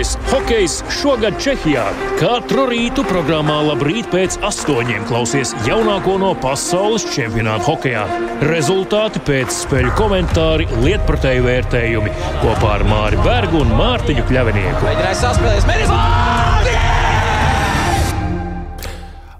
Labākais hokejs šogad Čehijā. Katru rītu programmā Labrīt pēc 8 klausies jaunāko no pasaules čempionāta hokejā. Rezultāti pēc spēļu komentāri, lietpratēju vērtējumi kopā ar Māri Bergu un Mārtiņu Kļavinieku. Mēģināja saspēlēs,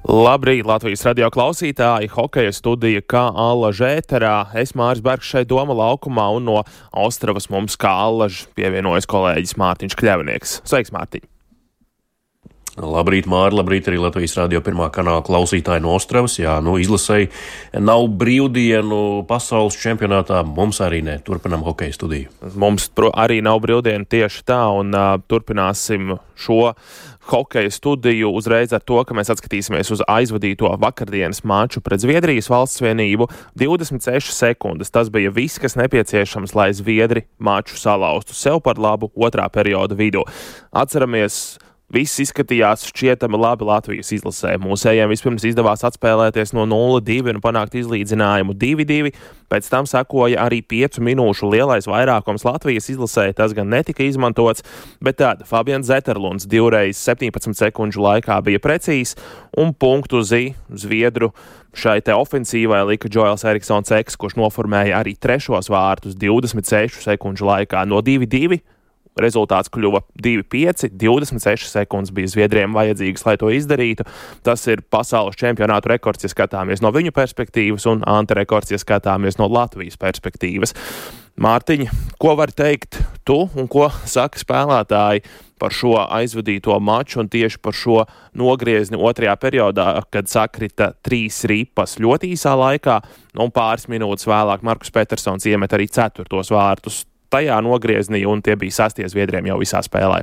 Labrīt, Latvijas radio klausītāji, hokeja studija kā Allaža ēterā. Es Māris Bergs šeit Doma laukumā un no Ostravas mums kā Allaža pievienojas kolēģis Mārtiņš Kļavinieks. Sveiks, Mārtiņ! Labrīt, Māri, labrīt arī Latvijas radio pirmā kanāla klausītāji no Ostravas. Jā, izlasēji nav brīvdienu pasaules čempionātā, mums arī ne. Turpinām hokeja studiju. Mums arī nav brīvdienu tieši tā un turpināsim šo hokeja studiju uzreiz ar to, ka mēs atskatīsimies uz aizvadīto vakardienas maču pret Zviedrijas Valstsvienību. 26 sekundes. Tas bija viss, kas nepieciešams, lai Zviedri maču salauztu sev par labu otrā perioda vidū. Atceramies, viss izskatījās šķietami labi Latvijas izlasē. Mūsējiem vispirms izdevās atspēlēties no 0-2 un panākt izlīdzinājumu 2-2. Pēc tam sekoja arī 5 minūšu lielais vairākums Latvijas izlasē. Tas gan netika izmantots, bet tad Fabians Zeterlunds 2x17 sekundžu laikā bija precīzs un punktu uz Zviedru šai te ofensīvai lika Džoels Eriksons Eks, kurš noformēja arī trešos vārtus 26 sekundžu laikā no 2-2. Rezultāts kļuva 2-5, 26 sekundes bija Zviedriem vajadzīgas, lai to izdarītu. Tas ir pasaules čempionātu rekords, ja skatāmies no viņu perspektīvas, un antirekords, ja skatāmies no Latvijas perspektīvas. Mārtiņ, ko var teikt tu un ko saka spēlētāji par šo aizvadīto maču un tieši par šo nogriezni otrajā periodā, kad sakrita 3 ripas ļoti īsā laikā, un pāris minūtes vēlāk Markus Petersons iemet arī 4. vārtus tajā nogrieznī, un tie bija 6 Zviedriem jau visā spēlē.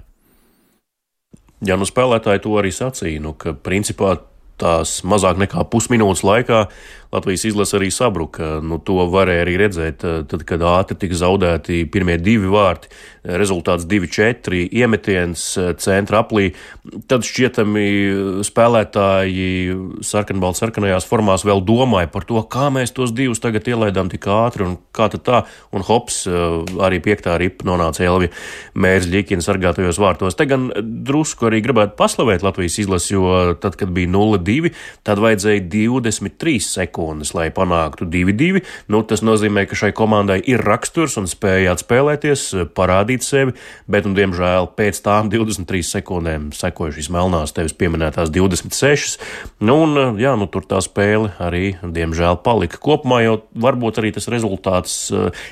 Jā, spēlētāji to arī sacīja, ka principā tās mazāk nekā pusminūtes laikā Latvijas izlase arī sabruka. To varēja arī redzēt, tad, kad ātri tika zaudēti pirmie 2 vārti, rezultāts 2-4, iemetiens centra aplī. Tad šķietami spēlētāji sarkanajās formās vēl domāja par to, kā mēs tos 2 tagad ielaidām tik ātri un kā tad tā. Un hops, arī 5. ripa nonāca Elvija Mērs-Ļikina sargātajos vārtos. Te gan drusku arī gribētu paslavēt Latvijas izlasi, jo tad, kad bija 0-2, tad vajadzēja 23 sekundes, lai panāktu 2-2. Tas nozīmē, ka šai komandai ir raksturs un spēja atspēlēties, parādīt sevi, bet, diemžēl, pēc tām 23 sekundēm sekoja šīs melnās tevis pieminētās 26. Tur tā spēle arī, diemžēl, palika. Kopumā jau varbūt arī tas rezultāts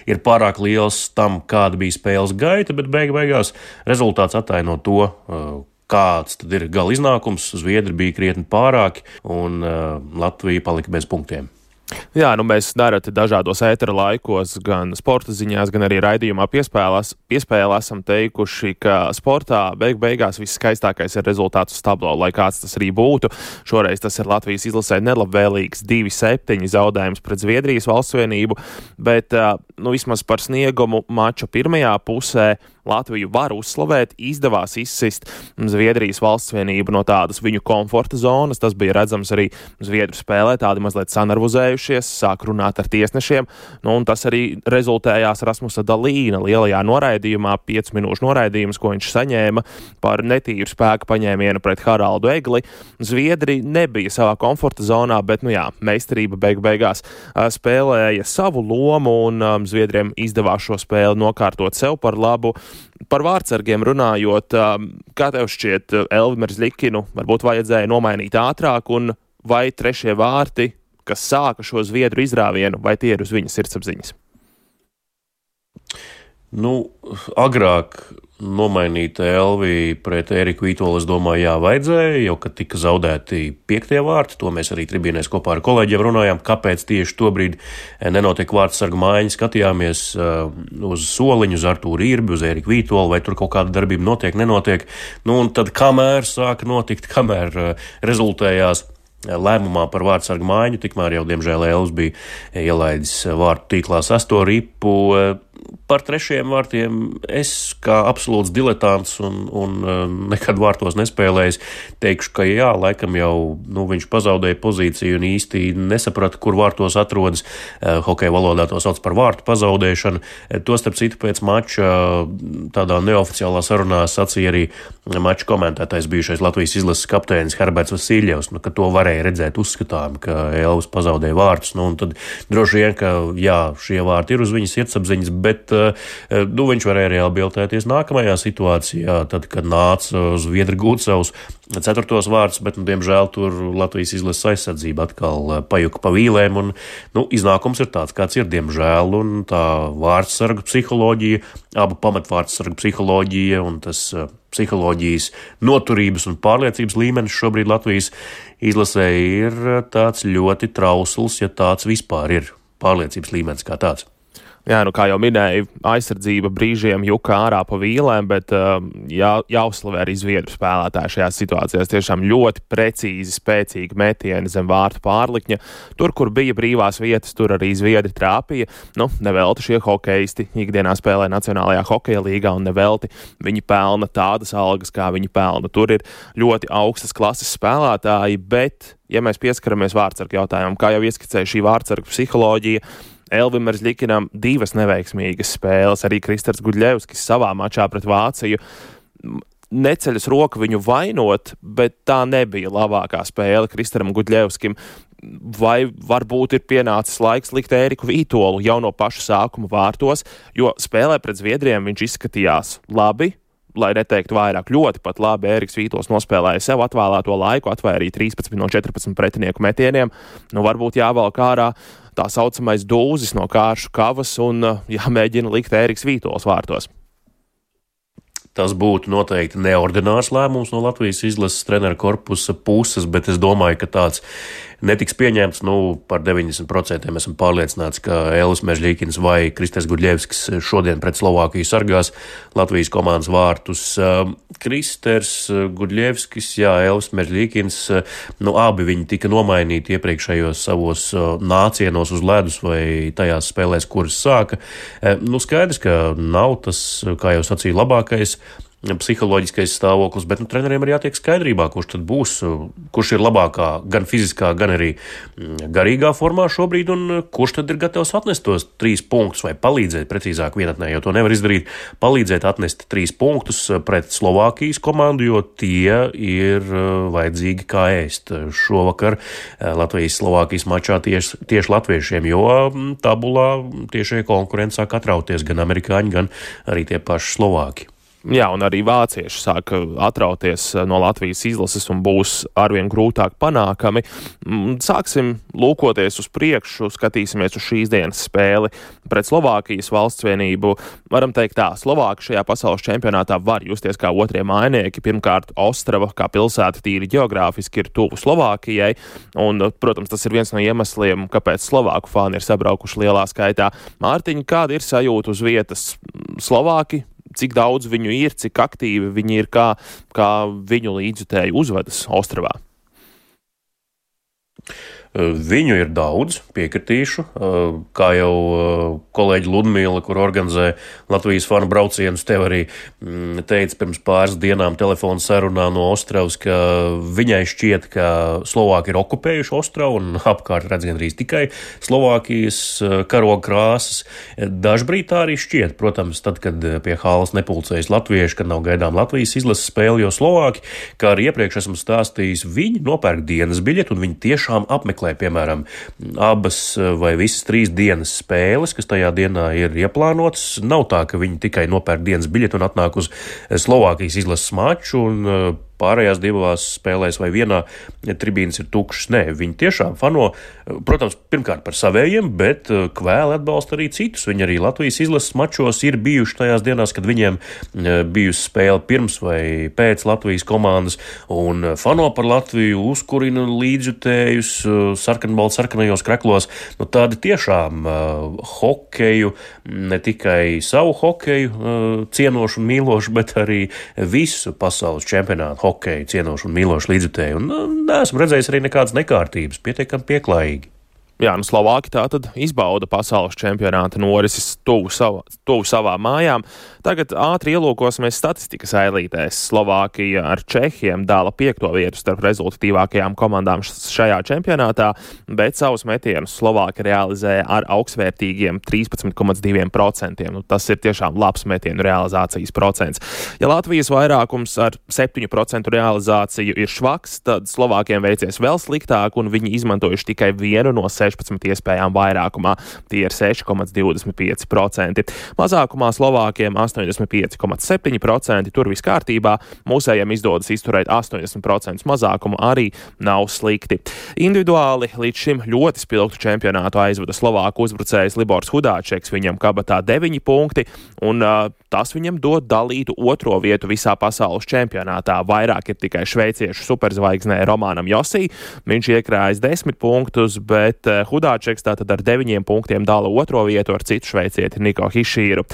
ir pārāk liels tam, kāda bija spēles gaita, bet beigās rezultāts attaino to, kāds tad ir gala iznākums. Zviedri bija krietni pārāki un Latvija palika bez punktiem. Jā, mēs nereti dažādos ētera laikos, gan sporta ziņās, gan arī raidījumā piespēlē esam teikuši, ka sportā beigās viss skaistākais ir rezultāts uz tablo, lai kāds tas arī būtu. Šoreiz tas ir Latvijas izlasē nelabvēlīgs 2-7 zaudējums pret Zviedrijas Valstsvienību, bet vismaz par sniegumu mača pirmajā pusē Latviju var uzslavēt, izdevās izsist Zviedrijas Valstsvienību no tādas viņu komforta zonas. Tas bija redzams arī Zviedru spēlē, tādi mazliet sanarvuzējušies, sāk runāt ar tiesnešiem, un tas arī rezultējās Rasmusa Dalīna lielajā noraidījumā, 5 minūšu noraidījums, ko viņš saņēma par netīru spēku paņēmienu pret Haraldu Egli. Zviedri nebija savā komforta zonā, bet, meistarība beigās spēlēja savu lomu, un Zviedriem izdevās šo spēli nokārtot sev par labu. Par vārtsargiem runājot, kā tev šķiet, Elvi Mērs-Ļikinu varbūt vajadzēja nomainīt ātrāk, un vai 3. vārti, kas sāka šo Zviedru izrāvienu, vai tie ir uz viņas sirdsapziņas? Agrāk nomainīt Elvi pret Eriku Vītolu, es domāju, vajadzēja, jo, kad tika zaudēti 5. vārti, to mēs arī tribīnēs kopā ar kolēģiem runājām, kāpēc tieši tobrīd nenotiek vārtsargu maiņa, skatījāmies uz soliņu, uz Artūru Irbi, uz Eriku Vītolu, vai tur kaut kāda darbība notiek, nenotiek. Un tad kamēr sāka notikt, kamēr rezultējās lēmumā par vārtsargu maiņu, tikmēr jau, diemžēl, Elvis bija ielaidis vārtu tīklā 6. ripu. par trešajiem vārtiem es kā absolūts diletants un nekad vārtos nespēlējis, teikšu, ka jā, laikam jau viņš pazaudēja pozīciju un īsti nesaprata, kur vārtos atrodas. Hokeja valodā to sauc par vārtu pazaudēšanu. To starp citu pēc mača tādā neoficiālā sarunā sacīja arī mača komentētājs bijušais Latvijas izlases kapteinis Herberts Vasiljevs, ka to varēja redzēt uzskatām, ka Elvis pazaudēja vārtus. Un tad droši vien, ka jā, šie vārti ir uz viņas sirdsapziņas, bet viņš varēja rehabilitēties nākamajā situācijā, tad, kad nāca Zviedri gūt savus 4. vārtus, bet, diemžēl, tur Latvijas izlases aizsardzība atkal pajuka pa vīlēm, un, iznākums ir tāds, kāds ir, diemžēl, un tā vārdsargu psiholoģija, abu pamatvārdsargu psiholoģija un tas psiholoģijas noturības un pārliecības līmenis šobrīd Latvijas izlasē ir tāds ļoti trausls, ja tāds vispār ir pārliecības līmenis kā tāds. Jā, kā jau minēju, aizsardzība brīžiem juka ārā pa vīlēm, bet jāuzslavē arī zviedru spēlētāji šajās situācijās. Tiešām ļoti precīzi, spēcīgi metieni zem vārtu pārlikņa. Tur, kur bija brīvās vietas, tur arī zviedri trāpīja. Nevelti šie hokeisti ikdienā spēlē Nacionālajā hokeja līgā un nevelti viņi pelna tādas algas, kā viņi pelna. Tur ir ļoti augstas klases spēlētāji, bet, ja mēs pieskaramies vārdsargu jautājumam, kā jau ieskicēja šī vārdsargu psiholoģija, Elvim Merzļikinam 2 neveiksmīgas spēles, arī Kristers Gudļevskis savā mačā pret Vāciju neceļas roku viņu vainot, bet tā nebija labākā spēle Kristeram Gudļevskim. Vai varbūt ir pienācis laiks likt Ēriku Vītolu jau no paša sākuma vārtos, jo spēlē pret Zviedriem viņš izskatījās labi, lai neteiktu vairāk, ļoti pat labi. Ēriks Vītols nospēlēja sev atvēlēto laiku, atvairīja 13 no 14 pretinieku metieniem. Varbūt jāvelk ārā tā saucamais dūzis no kāršu kavas un jāmēģina likt Ēriks Vītols vārtos. Tas būtu noteikti neordinārs lēmums no Latvijas izlases treneru korpusa puses, bet es domāju, ka tāds netiks pieņemts. Par 90% esam pārliecināti, ka Elvis Merzļikins vai Kristers Gudļevskis šodien pret Slovākiju sargās Latvijas komandas vārtus. Kristers Gudļevskis, Elvis Merzļikins, abi viņi tika nomainīti iepriekšējos savos nācienos uz ledus vai tajās spēlēs, kuras sāka. Skaidrs, ka nav tas, kā jau sacīja, labākais psiholoģiskais stāvoklis, bet treneriem ir jātiek skaidrībā, kurš tad būs, kurš ir labākā gan fiziskā, gan arī garīgā formā šobrīd, un kurš tad ir gatavs atnest tos 3 punktus vai palīdzēt, precīzāk vienatnē, jo to nevar izdarīt, palīdzēt atnest 3 punktus pret Slovākijas komandu, jo tie ir vajadzīgi kā ēst šovakar Latvijas-Slovākijas mačā tieši latviešiem, jo tabulā tiešie konkurenti sāk atrauties gan amerikāņi, gan arī tie paši Slovāki. Jā, un arī vācieši sāk atrauties no Latvijas izlases un būs arvien grūtāk panākami. Sāksim lūkoties uz priekšu, skatīsimies uz šīs dienas spēli pret Slovākijas valstsvienību. Varam teikt tā, Slovāki šajā pasaules čempionātā var justies kā otrie mājnieki. Pirmkārt, Ostrava kā pilsēta tīri ģeogrāfiski ir tuvu Slovākijai, un, protams, tas ir viens no iemesliem, kāpēc Slovāku fani ir sabraukuši lielā skaitā. Mārtiņ, kāda ir sajūta uz vietas Slovāki? Cik daudz viņu ir, cik aktīvi viņi ir, kā viņu līdzjutēji uzvedas Ostravā? Viņu ir daudz, piekritīšu, kā jau kolēģi Ludmila, kur organizē Latvijas fanu braucienus, tev arī teica pirms pāris dienām telefonu sarunā no Ostravas, ka viņai šķiet, ka Slovāki ir okupējuši Ostravu un apkārt redz gandrīz tikai Slovākijas karoga krāsas. Dažbrīd tā arī šķiet, protams, tad, kad pie halas nepulcējas latvieši, kad nav gaidām Latvijas izlases spēli, jo Slovāki, kā arī iepriekš esmu stāstījis, viņi nopērk dienas biļeti un viņi tiešām apmeklē, piemēram, abas vai visas 3 dienas spēles, kas tajā dienā ir ieplānotas. Nav tā, ka viņi tikai nopērk dienas biļeti un atnāk uz Slovākijas izlases maču un pārējās 2 spēlēs vai vienā tribīnas ir tukšas. Nē, viņi tiešām fano, protams, pirmkārt par savējiem, bet kvēli atbalsta arī citus. Viņi arī Latvijas izlases mačos ir bijuši tajās dienās, kad viņiem bijusi spēle pirms vai pēc Latvijas komandas un fano par Latviju, uzkurina līdzjutējus sarkanajos kreklos. Tādi tiešām hokeju, ne tikai savu hokeju cienošu un mīlošu, bet arī visu pasaules čempionātu hokeju cienošu un mīlošu līdzjutēju. Un neesmu redzējis arī nekādas nekārtības, pietiekami pieklājīgi. Jā, Slovāki tātad izbauda pasaules čempionāta norises tuvu savām mājām. Tagad ātri ielūkosimies statistikas ailītēs. Slovākija ar Čehiem dala 5. vietu starp rezultatīvākajām komandām šajā čempionātā, bet savus metienus Slovāki realizēja ar augstvērtīgiem 13,2%. Tas ir tiešām labs metienu realizācijas procents. Ja Latvijas vairākums ar 7% realizāciju ir švaks, tad Slovākiem veicies vēl sliktāk, un viņi izmantojuši tikai vienu no 16 iespējām vairākumā. Tie ir 6,25%. Mazākumā Slovākiem 85,7%, tur viss kārtībā. Mūsējiem izdodas izturēt 80% mazākumu, arī nav slikti. Individuāli līdz šim ļoti spilgtu čempionātu aizvada Slovāku uzbrucējs Libors Hudāčeks, viņam kabatā 9 punkti, un tas viņam dod dalītu 2. vietu visā pasaules čempionātā. Vairāk ir tikai šveiciešu superzvaigznē Romanam Josī, viņš iekrājas 10 punktus, bet Hudāčeks tātad ar 9 punktiem dala 2. vietu ar citu šveicieti Niko Hišīru.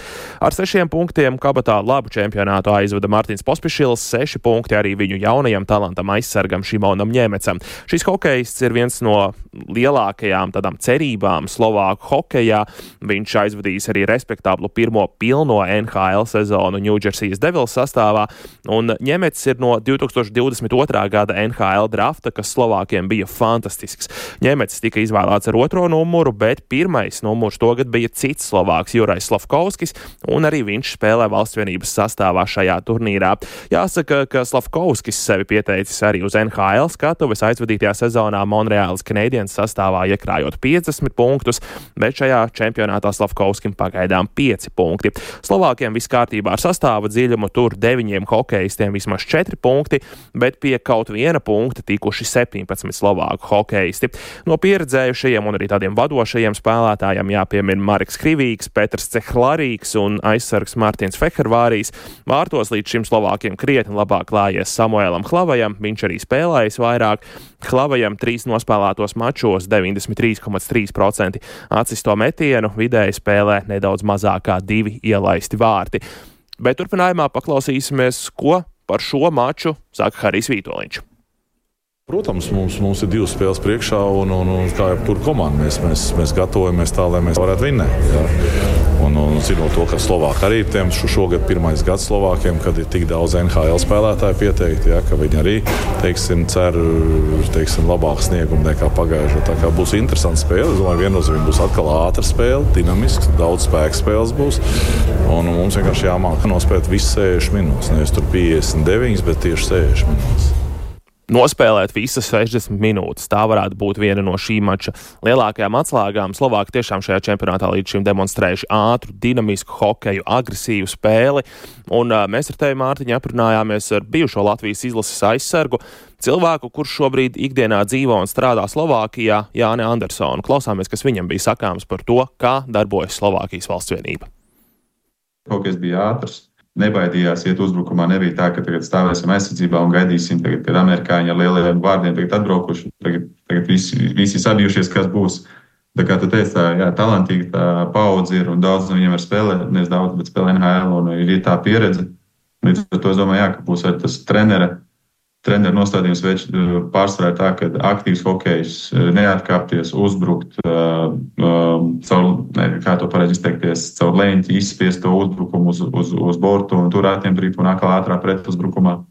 Ar 6 punktiem kabatā labu čempionātu aizvada Martins Pospišils, 6 punkti arī viņu jaunajam talantam aizsargam Šimonam Ņemecam. Šis hokejists ir viens no lielākajām tādām cerībām Slovāku hokejā. Viņš aizvadījis arī respektablu pirmo pilno NHL sezonu New Jersey Devils sastāvā, un Ņemets ir no 2022. gada NHL drafta, kas Slovākiem bija fantastisks. Ņemets tika izvēlēts ar 2. numuru, bet 1. numurs togad bija cits Slovāks, Jurais Slavkovskis, un arī viņš spēlē Valstsvienības sastāvā šajā turnīrā. Jāsaka, ka Slavkovskis sevi pieteicis arī uz NHL skatuves aizvadītajā sezonā Montreāls Canadiens sastāvā, iekrājot 50 punktus, bet šajā čempionātā Slavkovskim pagaidām 5 punkti. Slovākiem viss kārtībā ar sastāva dziļumu, tur 9 hokejistiem vismaz 4 punkti, bet pie kaut viena punkta tikuši 17 Slovāku hokejisti. No pieredzējušajiem un arī tādiem vadošajiem spēlētājiem jāpiemina Marks Krivīgs, Petrs Cehlarīgs un aizsargs Martins Fehervārijs. Vārtos līdz šim Slovākiem krietni labāk klājies Samuēlam Hlavajam, viņš arī spēlējis vairāk. Hlavajam 3 nospēlētos mačos 93,3% atsisto metienu, vidēji spēlē nedaudz mazākā 2 ielaisti vārti. Bet turpinājumā paklausīsimies, ko par šo maču saka Harijs Vītoliņš. Protams, mums ir 2 spēles priekšā, un kā jebkura komanda, mēs gatavojamies tā, lai mēs varētu vinnēt. Jā. Un zinot to, ka Slovāki arī tiem šogad pirmais gads Slovākiem, kad ir tik daudz NHL spēlētāju pieteikti, jā, ka viņi arī, cer labāku sniegumu nekā pagājušajā. Tā kā būs interesanta spēle, es domāju, viennozīmīgi būs atkal ātra spēle, dinamisks, daudz spēka spēles būs, un mums vienkārši jāmāk nospēt visas 60 minūtes, nevis tur 59, bet tieši 60 minūtes. Nospēlēt visas 60 minūtes. Tā varētu būt viena no šī mača lielākajām atslēgām. Slovāki tiešām šajā čempionātā līdz šim demonstrējuši ātru, dinamisku hokeju, agresīvu spēli. Un mēs ar tevi, Mārtiņ, aprunājāmies ar bijušo Latvijas izlases aizsargu, cilvēku, kurš šobrīd ikdienā dzīvo un strādā Slovākijā, Jāni Andersonu. Klausāmies, kas viņam bija sakāms par to, kā darbojas Slovākijas Valstsvienība. Hokejs bija ātrs. Nebaidījās iet uzbrukumā, nebija tā, ka tagad stāvēsim aizsardzībā un gaidīsim, tagad, kad amerikāņi ar lielajiem vārdiem tagad atbraukuši, tagad visi sabijušies, kas būs. Tā kā tu teici, tā talantīga tā paudze ir un daudz no viņiem var spēlēt, nevis daudz, bet spēlē NHL un ir tā pieredze. Līdz ar to es domāju, ka būs arī tas treneru nostādījums pārsvarā tā, ka aktīvs hokejs neatkāpties, uzbrukt, kā to pareizi izteikties, caur leņķi izspiest to uzbrukumu uz bortu un tur ātriem un atkal ātrā pretuzbrukumā.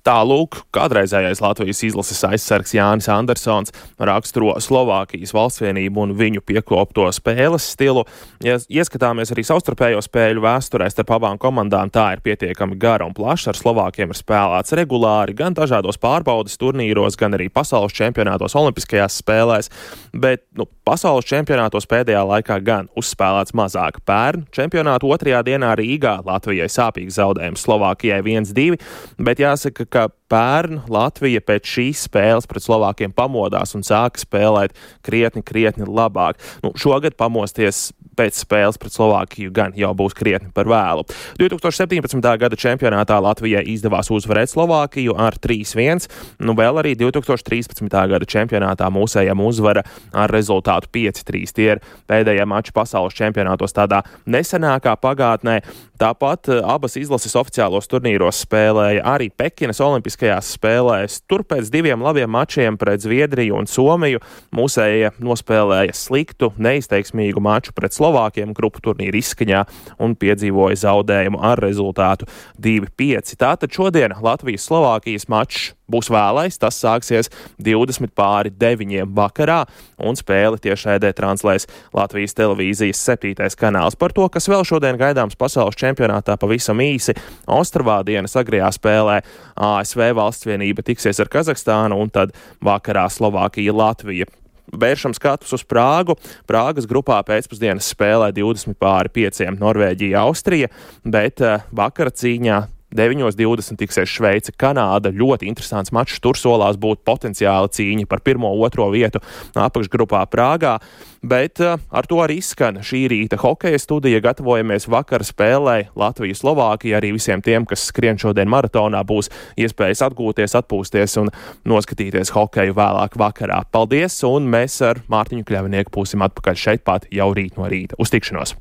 Tālūk, kādreizējais Latvijas izlases aizsargs Jānis Andersons raksturo Slovākijas Valstsvienību un viņu piekopto spēles stilu. Ja ieskatāmies arī savstarpējo spēļu vēsturē starp abām komandām, tā ir pietiekami gara un plaša. Ar Slovākiem ir spēlēts regulāri gan dažādos pārbaudes turnīros, gan arī pasaules čempionātos, olimpiskajās spēlēs, bet pasaules čempionātos pēdējā laikā gan uzspēlēts mazāk. Pērn čempionātu 2. dienā Rīgā Latvijai sāpīgs zaudējums, Slovākijai 1-2, bet jāsaka, ka pērn Latvija pēc šīs spēles pret Slovākiem pamodās un sāka spēlēt krietni labāk. Šogad pamosties pēc spēles pret Slovākiju gan jau būs krietni par vēlu. 2017. gada čempionātā Latvijai izdevās uzvarēt Slovākiju ar 3-1, vēl arī 2013. gada čempionātā mūsējiem uzvara ar rezultātu 5-3. Tie ir pēdējie mači pasaules čempionātos tādā nesenākā pagātnē. Tāpat abas izlases oficiālos turnīros spēlēja arī Pekinas olimpiskajās spēlēs. Tur pēc 2 labiem mačiem pret Zviedriju un Somiju mūsējie nospēlēja sliktu, neizteiksmīgu maču pret Slovākiem grupu turnīra izskaņā un piedzīvoja zaudējumu ar rezultātu 2-5. Tātad šodien Latvijas-Slovākijas mačs būs vēlais, tas sāksies 20:09 vakarā, un spēli tiešraidē translēs Latvijas televīzijas 7. kanāls. Par to, kas vēl šodien gaidāms pasaules čempionātā, pavisam īsi. Ostrvā dienas agrajā spēlē ASV valstsvienība tiksies ar Kazahstānu, un tad vakarā Slovākija-Latvija. Vēršam skatus uz Prāgu. Prāgas grupā pēcpusdienas spēlē 20:05 Norvēģija-Austrija, bet vakara cīņā 9:20 tiksies Šveice, Kanāda. Ļoti interesants mačs. Tur solās būt potenciāla cīņa par 1.-2. vietu apakšgrupā Prāgā. Bet ar to arī izskan šī rīta hokeja studija. Gatavojamies vakara spēlē Latvija-Slovākija. Arī visiem tiem, kas skrien šodien maratonā, būs iespējas atgūties, atpūsties un noskatīties hokeju vēlāk vakarā. Paldies, un mēs ar Mārtiņu Kļavinieku būsim atpakaļ šeit pat jau rīt no rīta. Uz tikšanos!